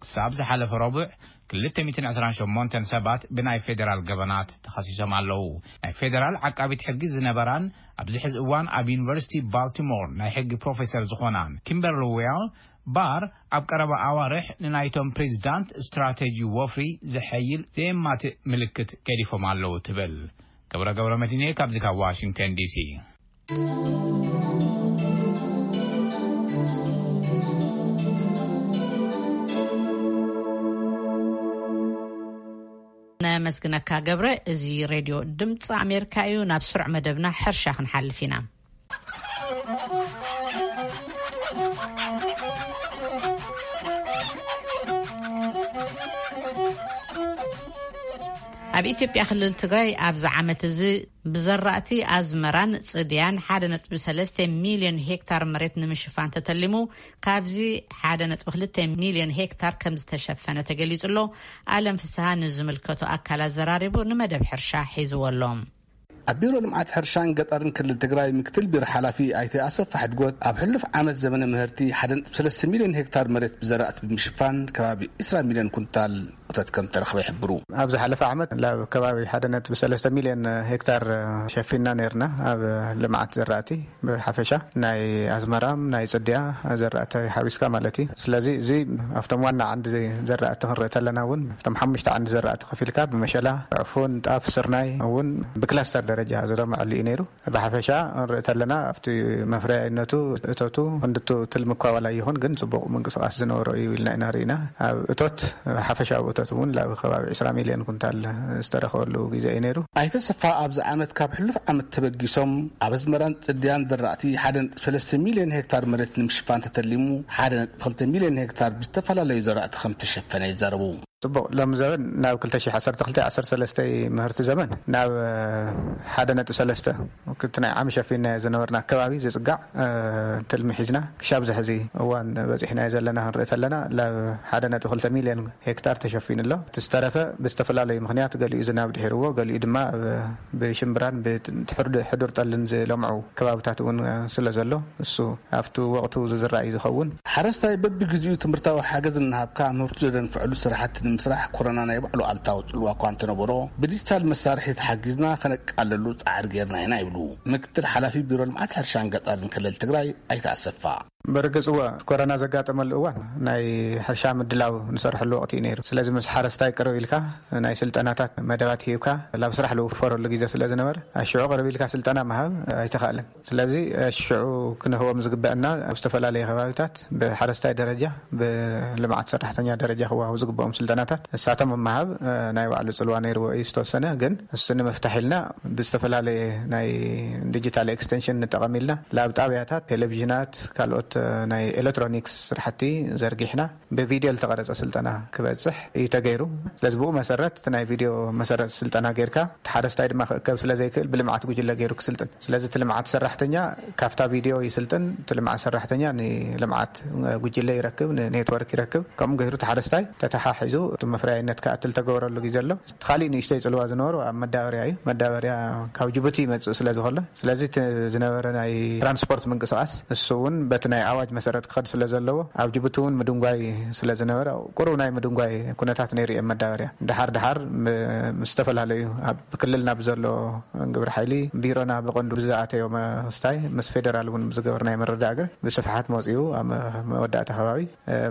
ክሳብ ዝሓለፈ ረቡዕ ክልተ ሚእትን ዕስራን ሸሞንተን ሰባት ብናይ ፌደራል ገበናት ተኸሲሶም ኣለዉ። ናይ ፌደራል ዓቃቢት ሕጊ ዝነበራን ኣብዚ ሕዚ እዋን ኣብ ዩኒቨርሲቲ ባልቲሞር ናይ ሕጊ ፕሮፌሰር ዝኾናን ኪምበርሊ ዌል፣ ባር ኣብ ቀረባ ኣዋርሕ ንናይቶም ፕሬዚዳንት ስትራቴጂ ወፍሪ ዘሐይል ዘየማትእ ምልክት ገዲፎም ኣለዉ ትብል። ገብረ ገብረ መድህኔ ካብዚ ካብ ዋሽንግተን ዲሲ። ኣመስግነካ ገብረ። እዚ ሬድዮ ድምፂ ኣሜሪካ እዩ። ናብ ስሩዕ መደብና ሕርሻ ክንሓልፍ ኢና። ኣብ ኢትዮጵያ ክልል ትግራይ ኣብዚ ዓመት እዚ ብዘራእቲ ኣዝመራን ጽድያን ሓደ ነጥቢ ሰለስተ ሚልዮን ሄክታር መሬት ንምሽፋን ተተሊሙ፣ ካብዚ ሓደ ነጥቢ ክልተ ሚልዮን ሄክታር ከም ዝተሸፈነ ተገሊጹ ኣሎ። ኣለም ፍስሃ ንዝምልከቶ ኣካል ኣዘራሪቡ ንመደብ ሕርሻ ሒዝዎ ኣሎ። ኣብ ቢሮ ልምዓት ሕርሻን ገጠርን ክልል ትግራይ ምክትል ቢሮ ሓላፊ ኣይተ ኣሰፋ ሕድጎት፣ ኣብ ሕሉፍ ዓመት ዘመነ ምህርቲ ሓደ ነጥቢ ሰለስተ ሚልዮን ሄክታር መሬት ብዘራእቲ ብምሽፋን ከባቢ ዕስራ ሚልዮን ኩንታል እቶት ከም ተረኽበ ይሕብሩ። ኣብ ዝሓለፈ ዓመት ናብ ከባቢ ሓደ ነጥቢ ሰለስተ ሚልዮን ሄክታር ሸፊንና ነርና ኣብ ልምዓት ዘራእቲ ብሓፈሻ ናይ ኣዝመራም ናይ ጽድያ ዘራእቲ ሓዊስካ ማለት እዩ። ስለዚ እዚ ኣብቶም ዋና ዓንዲ ዘራእቲ ክንርኢ ተለና እውን ኣብቶም ሓሙሽተ ዓንዲ ዘራእቲ ከፊልካ ብመሸላ፣ ዕፉን፣ ጣፍ፣ ስርናይ እውን ብክላስተር ደረጃ ዝለምዐሉ እዩ ነይሩ። ብሓፈሻ ንርኢ ተለና ኣብቲ መፍረያይነቱ እቶቱ ክንድቱ ትልሚ እኳ ዋላ ይኹን ግን ጽቡቕ ምንቅስቓስ ዝነበሮ እዩ ኢልና ኢና ርኢና። ኣብ እቶት ሓፈሻዊ እቶት እውን ላብ ከባቢ ዕስራ ሚልዮን ኩንታል ዝተረኸበሉ ግዜ እዩ ነይሩ። ኣይተ ሰፋ ኣብዚ ዓመት ካብ ሕሉፍ ዓመት ተበጊሶም ኣብ ኣዝመራን ጽድያን ዘራእቲ ሓደ ነጥቢ ሰለስተ ሚልዮን ሄክታር መሬት ንምሽፋን ተተሊሙ ሓደ ነጥቢ ክልተ ሚልዮን ሄክታር ብዝተፈላለዩ ዘራእቲ ከም ተሸፈነ ይዛረቡ። ጽቡቕ፣ ሎም ዘበን ናብ ክልተ ሽሕ ዓሰርተ ክልተ ዓሰርተ ሰለስተ ምህርቲ ዘመን ናብ ሓደ ነጥቢ ሰለስተ እቲ ናይ ዓሚ ሸፊንናዮ ዝነበርና ኣከባቢ ዝጽጋዕ ትልሚ ሒዝና ክሻብ ዝሕዚ እዋን በጺሕናዮ ዘለና ክንርኢ ተለና ላብ ሓደ ነጥቢ ክልተ ሚልዮን ሄክታር ተሸፊኑ ኣሎ። እቲ ዝተረፈ ብዝተፈላለዩ ምኽንያት ገሊኡ ዝናብ ድሒርዎ፣ ገሊኡ ድማ ኣብ ብሽምብራን ብሕዱር ጠልን ዝለምዑ ከባብታት እውን ስለ ዘሎ እሱ ኣብቲ ወቕቱ ዝዝራእ እዩ ዝኸውን። ሓረስታይ በብግዜኡ ትምህርታዊ ሓገዝ እናሃብካ ምህርቱ ዘደንፍዐሉ ስራሕቲ ንምስራሕ ኮረና ናይ ባዕሉ ኣልታዊ ጽልዋ እኳ እንተነበሮ፣ ብዲጂታል መሳርሒ ተሓጊዝና ከነቃለሉ ጻዕሪ ጌርና ኢና ይብሉ ምክትል ሓላፊ ቢሮ ልምዓት ሕርሻን ገጠርን ክልል ትግራይ ኣይተ ኣሰፋ። በርግጽ እወ፣ ኮረና ዘጋጠመሉ እዋን ናይ ሕርሻ ምድላው ንሰርሐሉ ወቕቲ እዩ ነይሩ። ስለዚ ምስ ሓረስታይ ቅርብ ኢልካ ናይ ስልጠናታት መደባት ሂብካ ላብ ስራሕ ልውፈረሉ ግዜ ስለ ዝነበረ ኣሽዑ ቅርብ ኢልካ ስልጠና ምሃብ ኣይተኻእለን። ስለዚ ሽዑ ክንህቦም ዝግበአና ኣብ ዝተፈላለዩ ከባቢታት ብሓረስታይ ደረጃ ብልምዓት ሰራሕተኛ ደረጃ ክወሃቡ ዝግበኦም ስልጠናታት እሳቶም ምሃብ ናይ ባዕሉ ጽልዋ ነይርዎ እዩ ዝተወሰነ። ግን እሱ ንምፍታሕ ኢልና ብዝተፈላለየ ናይ ዲጂታል ኤክስቴንሽን ንጠቐም ኢልና ላብ ጣብያታት ቴሌቪዥናት ካልኦት ናይ ኤሌክትሮኒክስ ስራሕቲ ዘርጊሕና ብቪድዮ ዝተቐረጸ ስልጠና ክበጽሕ እዩ ተገይሩ። ስለዚ ብኡ መሰረት እቲ ናይ ቪድዮ መሰረት ስልጠና ጌርካ እቲ ሓረስታይ ድማ ክእከብ ስለ ዘይክእል ብልምዓት ጉጅለ ገይሩ ክስልጥን። ስለዚ እቲ ልምዓት ሰራሕተኛ ካብታ ቪድዮ ይስልጥን፣ እቲ ልምዓት ሰራሕተኛ ንልምዓት ጉጅለ ይረክብ፣ ንኔትወርክ ይረክብ። ከምኡ ገይሩ እቲ ሓረስታይ ተተሓሒዙ እቲ መፍረያይነት ክኣትል ተገበረሉ ግዜ ኣሎ። እቲ ካሊእ ንእሽተይ ጽልዋ ዝነበሩ ኣብ መዳበርያ እዩ። መዳበርያ ካብ ጅቡቲ ይመጽእ ስለ ዝኾነ ስለዚ እቲ ዝነበረ ናይ ትራንስፖርት ምንቅስቃስ እሱ እውን በቲ ናይ ኣዋጅ መሰረት ክኸድ ስለ ዘለዎ ኣብ ጅቡቲ እውን ምድንጓይ ስለ ዝነበረ ቁሩብ ናይ ምድንጓይ ኩነታት ነይሩ እየ መዳበርያ። ድሓር ድሓር ምስ ዝተፈላለዩ ኣብ ክልልና ብዘሎ ግብረ ሓይሊ ቢሮና ብቐንዱ ብዝኣተዮ መክስታይ ምስ ፌደራል እውን ብዝገበርናዮ መረዳእግር ብስፍሓት መፂኡ ኣብ መወዳእታ ከባቢ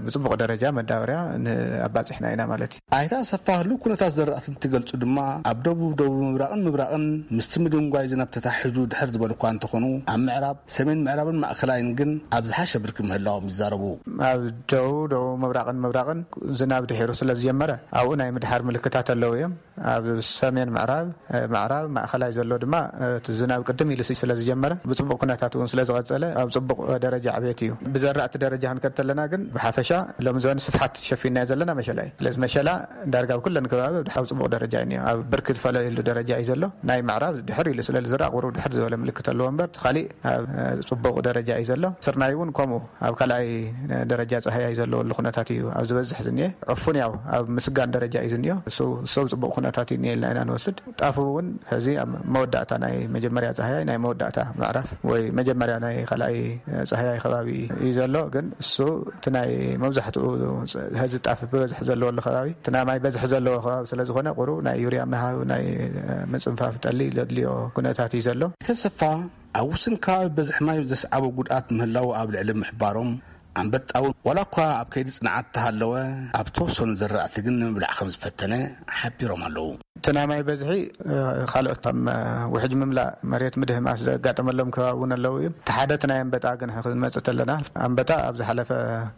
ብፅቡቕ ደረጃ መዳበርያ ንኣባፅሕና ኢና ማለት እዩ። ኣይተ ኣሰፋ ህሉው ኩነታት ዘራእቲ እንትገልጹ ድማ ኣብ ደቡብ፣ ደቡብ ምብራቕን ምብራቕን ምስቲ ምድንጓይ ዝናብ ተታሒዙ ድሕር ዝበሉ እኳ እንተኾኑ ኣብ ምዕራብ፣ ሰሜን ምዕራብን ማእከላይን ግን ኣብ ዝሓሸ ብርኪ ምህላዎም ይዛረቡ። ኣብ ደቡብ፣ ደቡብ ምብራቕን ምብራቕን ዝናብ ድሒሩ ስለ ዝጀመረ ኣብኡ ናይ ምድሓር ምልክታት ኣለዉ እዮም። ኣብ ሰሜን ምዕራብ፣ ምዕራብ ማእከላይ ዘሎ ድማ እቲ ዝናብ ቅድም ኢሉ ስለ ዝጀመረ ብጽቡቕ ኩነታት እውን ስለ ዝቐጸለ ኣብ ጽቡቕ ደረጃ ዕቤት እዩ። ብዘራእቲ ደረጃ ክንከድ ተለና ግን ብሓፈሻ ሎም ዘበን ስፍሓት ሸፊናዮ ዘለና መሸላ እዩ። ስለዚ መሸላ ዳርጋ ኣብ ኩለን ከባቢ ኣብ ጽቡቕ ደረጃ እዩ እኒኦ። ኣብ ብርኪ ዝፈለየሉ ደረጃ እዩ ዘሎ። ናይ ምዕራብ ድሕር ኢሉ ስለ ዝዝራእ ቁሩብ ድሕር ዝበለ ምልክት ኣለዎ እምበር እቲ ካሊእ ኣብ ጽቡቕ ደረጃ እዩ ዘሎ። ስርናይ እውን ከምኡ ኣብ ካልኣይ ደረጃ ጻህያይ ዘለወሉ ኩነታት እዩ ኣብ ዝበዝሕ ዝኒኤ። ዕፉን ያው ኣብ ምስጋን ደረጃ እዩ ዝኒኦ። እሱ እሱ ኣብ ጽቡቕ ኩነታት እዩ እኒኤ ኢልና ኢና ንወስድ። ጣፍ እውን ሕዚ ኣብ መወዳእታ ናይ መጀመርያ ጻህያይ ናይ መወዳእታ ምዕራፍ ወይ መጀመርያ ናይ ካልኣይ ጻህያይ ከባቢ እዩ ዘሎ። ግን እሱ እቲ ናይ መብዛሕትኡ ሕዚ ጣፍ ብበዝሒ ዘለወሉ ከባቢ እቲ ናይ ማይ በዝሒ ዘለዎ ከባቢ ስለ ዝኾነ ቁሩብ ናይ ዩርያ ምሃብ ናይ ምጽንፋፍ ጠሊ ዘድልዮ ኩነታት እዩ ዘሎ። ተሰፋ ኣብ ውስን ከባቢ በዝሒ ማይ ዘስዓቦ ጉድኣት ምህላዉ ኣብ ልዕሊ ምሕባሮም ኣንበጣ እውን ዋላ እኳ ኣብ ከይዲ ጽንዓት ተሃለወ፣ ኣብ ተወሰኑ ዘራእቲ ግን ንምብላዕ ከም ዝፈተነ ሓቢሮም ኣለዉ። እቲ ናይ ማይ በዝሒ፣ እ፣ ካልኦት ከም፣ እ፣ ውሕጅ ምምላእ መሬት ምድህማስ ዘጋጠመሎም ከባቢ እውን ኣለዉ እዮም። እቲ ሓደ እቲ ናይ ኣንበጣ ግን ክንመጽእ ተለና፣ ኣንበጣ ኣብ ዝሓለፈ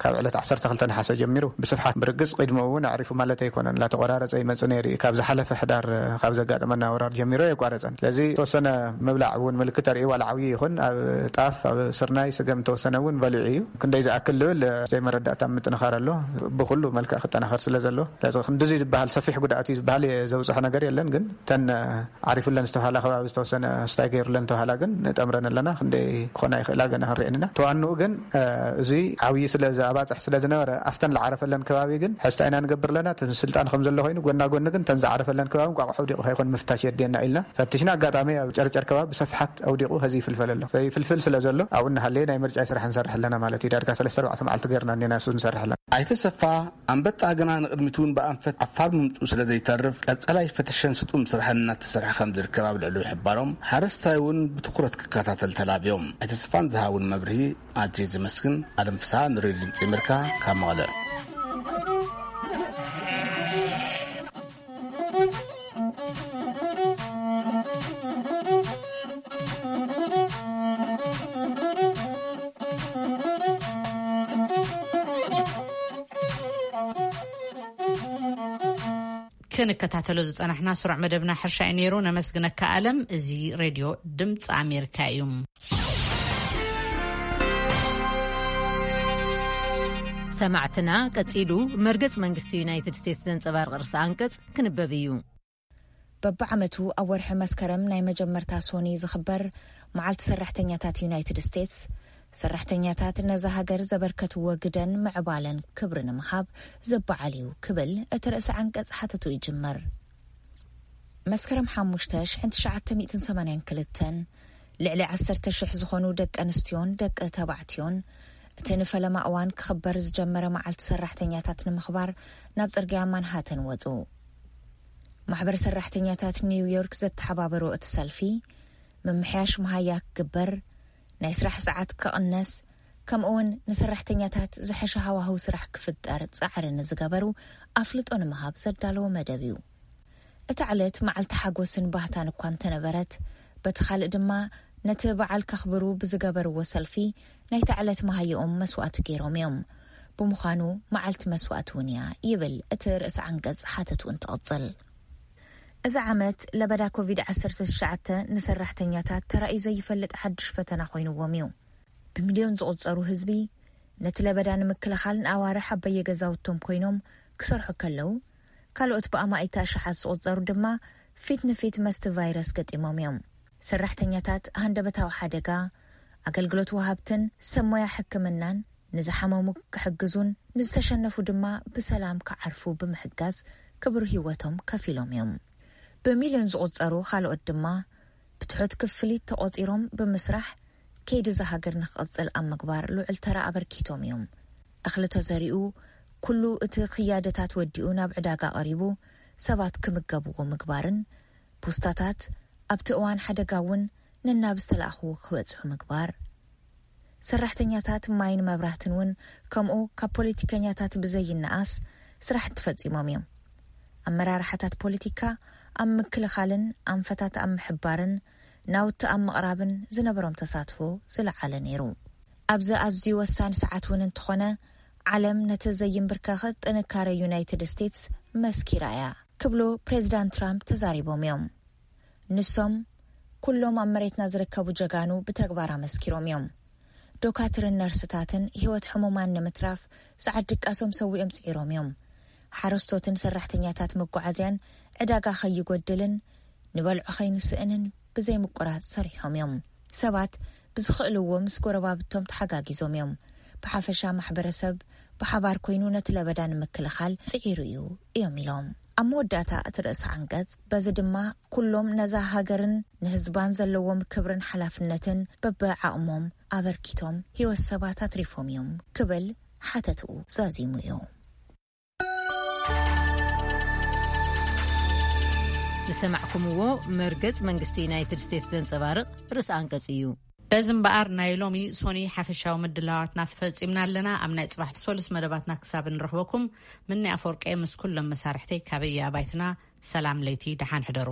ካብ ዕለት ዓሰርተ ክልተ ነሓሰ ጀሚሩ ብስፍሓት ብርግጽ ቅድሚኡ እውን ኣዕሪፉ ማለት ኣይኮነን። እናተቆራረጸ ይመጽእ ነይሩ እዩ። ካብ ዝሓለፈ ሕዳር፣ እ፣ ካብ ዘጋጠመና ወራር ጀሚሩ ኣየቋረጸን። ስለዚ ዝተወሰነ ምብላዕ እውን ምልክት ኣርእዩ፣ ዋላ ዓብዩ ይኹን ኣብ ጣፍ፣ ኣብ ስርናይ፣ ስገም ተወሰነ እውን በሊዑ እዩ። ክንደይ ዝኣክል ዝብል፣ እ፣ ዘይመረዳእታ ምጥንኻር ኣሎ። ብኩሉ መልክዕ ክጠናኸር ስለ ዘሎ፣ ስለዚ ክንድዚ ዝበሃል ሰፊሕ ጉድኣት እዩ ዝበሃል ዘብፅሖ ነገር የለን። ግን እተን፣ እ፣ ዓሪፉለን ዝተባሃላ ከባቢ ዝተወሰነ ስታይ ገይሩለን ተባሃላ ግን ንጠምረን ኣለና። ክንደይ ክኾና ይኽእላ ገና ክንሪአን ኢና። ተዋንኡ ግን፣ እ፣ እዚ ዓብዪ ስለ ዝኣባፅሕ ስለ ዝነበረ ኣብተን ዝዓረፈለን ከባቢ ግን ሕስታ ኢና ንገብር ኣለና። እቲ ስልጣን ከም ዘሎ ኮይኑ ጎና ጎኒ ግን እተን ዝዓረፈለን ከባቢ እንቋቑሖ ኣውዲቑ ከይኮን ምፍታሽ የድልየና ኢልና ፈቲሽና። ኣጋጣሚ ኣብ ጨርጨር ከባቢ ብሰፍሓት ኣውዲቑ ኸዚ ይፍልፈል ኣሎ። ይፍልፍል ስለ ዘሎ ኣብኡ እናሃለየ ናይ ምርጫ ስራሕ ንሰርሕ ኣለና ማለት እዩ። ዳርጋ ሰለስተ ኣርባዕተ መዓልቲ ገይርና እኒና እሱ ንሰርሕ ኣለና። ኣይተሰፋ ኣንበጣ ግና ንቕድሚት እውን ብኣንፈት ዓፋር ምምፅኡ ስለ ዘይተርፍ ቀፀላይ ፈተሸን ስጡም ስራሕን እናተሰርሐ ከም ዝርከብ ኣብ ልዕሊ ምሕባሮም፣ ሓረስታይ እውን ብትኩረት ክከታተል ተላብዮም። ኣይተስፋን ዝሃውን መብርሂ ኣዝየ ዘመስግን። ኣለም ፍስሃ ንሬድዮ ድምፂ ኣሜሪካ ካብ መቐለ። ክንከታተሎ ዝጸናሕና ስሩዕ መደብና ሕርሻ እዩ ነይሩ። ነመስግነካ ኣለም። እዚ ሬድዮ ድምፂ ኣሜሪካ እዩ። ሰማዕትና፣ ቀጺሉ መርገጽ መንግስቲ ዩናይትድ ስቴትስ ዘንጸባርቕ ርእሰ ኣንቀጽ ክንበብ እዩ። በብዓመቱ ኣብ ወርሒ መስከረም ናይ መጀመርታ ሶኒ ዝኽበር መዓልቲ ሰራሕተኛታት ዩናይትድ ስቴትስ፣ ሰራሕተኛታት ነዛ ሃገር ዘበርከትዎ ግደን ምዕባለን ክብሪ ንምሃብ ዝበዓል እዩ ክብል እቲ ርእሰ ዓንቀጽ ሓተቱ ይጅምር። መስከረም ሓሙሽተ ሽሕን ትሽዓተ ሚእትን ሰማንያን ክልተን ልዕሊ ዓሰርተ ሽሕ ዝኾኑ ደቂ ኣንስትዮን ደቂ ተባዕትዮን እቲ ንፈለማ እዋን ክኽበር ዝጀመረ መዓልቲ ሰራሕተኛታት ንምኽባር ናብ ጽርግያ ማንሃተን ወጹ። ማሕበር ሰራሕተኛታት ኒውዮርክ ዘተሓባበሮ እቲ ሰልፊ፣ ምምሕያሽ መሃያ ክግበር፣ ናይ ስራሕ ሰዓት ክቕነስ፣ ከምኡውን ንሰራሕተኛታት ዝሐሸ ሃዋህው ስራሕ ክፍጠር ጻዕሪ ንዝገበሩ ኣፍልጦ ንምሃብ ዘዳለወ መደብ እዩ። እታ ዕለት መዓልቲ ሓጎስን ባህታን እኳ እንተነበረት፣ በቲ ካልእ ድማ ነቲ በዓል ከኽብሩ ብዝገበርዎ ሰልፊ ናይታ ዕለት መሃይኦም መስዋእቲ ገይሮም እዮም። ብምዃኑ መዓልቲ መስዋእቲ እውን እያ ይብል እቲ ርእሰ ዓንቀጽ ሓተቱ እንትቕጽል። እዚ ዓመት ለበዳ ኮቪድ ዓሰርተ ትሽዓተ ንሰራሕተኛታት ተራእዩ ዘይፈልጥ ሓድሽ ፈተና ኮይንዎም እዩ። ብሚልዮን ዝቑጸሩ ህዝቢ ነቲ ለበዳ ንምክልኻል ንኣዋርሕ ኣብ በየገዛውቶም ኮይኖም ክሰርሑ ከለዉ፣ ካልኦት ብኣማኢት ኣሽሓት ዝቑጸሩ ድማ ፊት ንፊት መስቲ ቫይረስ ገጢሞም እዮም። ሰራሕተኛታት ሃንደበታዊ ሓደጋ፣ ኣገልግሎት ወሃብትን ሰብ ሞያ ሕክምናን ንዝሓመሙ ክሕግዙን ንዝተሸነፉ ድማ ብሰላም ክዓርፉ ብምሕጋዝ ክቡር ህይወቶም ከፊሎም እዮም። ብሚልዮን ዝቑጸሩ ካልኦት ድማ ብትሑት ክፍሊት ተቖጺሮም ብምስራሕ ከይዲ እዛ ሃገር ንክቕጽል ኣብ ምግባር ልዑል ተራ ኣበርኪቶም እዮም። እኽሊ ተዘሪኡ፣ ኩሉ እቲ ክያደታት ወዲኡ ናብ ዕዳጋ ቀሪቡ፣ ሰባት ክምገብዎ ምግባርን ፖስታታት ኣብቲ እዋን ሓደጋ እውን ነናብ ዝተላእኽዎ ክበጽሑ ምግባር። ሰራሕተኛታት ማይን መብራህትን እውን ከምኡ ካብ ፖለቲከኛታት ብዘይነኣስ ስራሕቲ ፈጺሞም እዮም። ኣመራርሓታት ፖለቲካ ኣብ ምክልኻልን ኣንፈታት ኣብ ምሕባርን ናውቲ ኣብ ምቕራብን ዝነበሮም ተሳትፎ ዝለዓለ ነይሩ። ኣብዚ ኣዝዩ ወሳኒ ሰዓት እውን እንተኾነ፣ ዓለም ነቲ ዘይንብርከኽ ጥንካረ ዩናይትድ ስቴትስ መስኪራ እያ ክብሉ ፕሬዚዳንት ትራምፕ ተዛሪቦም እዮም። ንሶም፣ "ኩሎም ኣብ መሬትና ዝርከቡ ጀጋኑ ብተግባር ኣመስኪሮም እዮም። ዶካትርን ነርስታትን ህይወት ሕሙማን ንምትራፍ ጻዕር ድቃሶም ሰዊኦም ጽዒሮም እዮም። ሓረስቶትን ሰራሕተኛታት መጓዓዝያን ዕዳጋ ከይጎድልን ንበልዖ ከይንስእንን ብዘይ ምቁራጽ ሰሪሖም እዮም። ሰባት ብዝኽእልዎ ምስ ጎረባብቶም ተሓጋጊዞም እዮም። ብሓፈሻ ማሕበረሰብ ብሓባር ኮይኑ ነቲ ለበዳ ንምክልኻል ጽዒሩ እዩ" እዮም ኢሎም። ኣብ መወዳእታ እቲ ርእሰ ዓንቀጽ፣ "በዚ ድማ ኩሎም ነዛ ሃገርን ንህዝባን ዘለዎም ክብርን ሓላፍነትን በብዓቕሞም ኣበርኪቶም ህይወት ሰባት ኣትሪፎም እዮም" ክብል ሓተትኡ ዛዚሙ እዩ። ዝሰማዕኩምዎ መርገጽ መንግስቲ ዩናይትድ ስቴትስ ዘንጸባርቕ ርእሰ ኣንቀጽ እዩ። በዚ እምበኣር ናይ ሎሚ ሶኒ ሓፈሻዊ ምድላዋትና ፈጺምና ኣለና። ኣብ ናይ ጽባሕ ሰሉስ መደባትና ክሳብ ንረኽበኩም፣ ምኒ ኣፈወርቀ ምስ ኩሎም መሳርሕተይ ካበየ ኣባይትና ሰላም ለይቲ ደሓን ሕደሩ።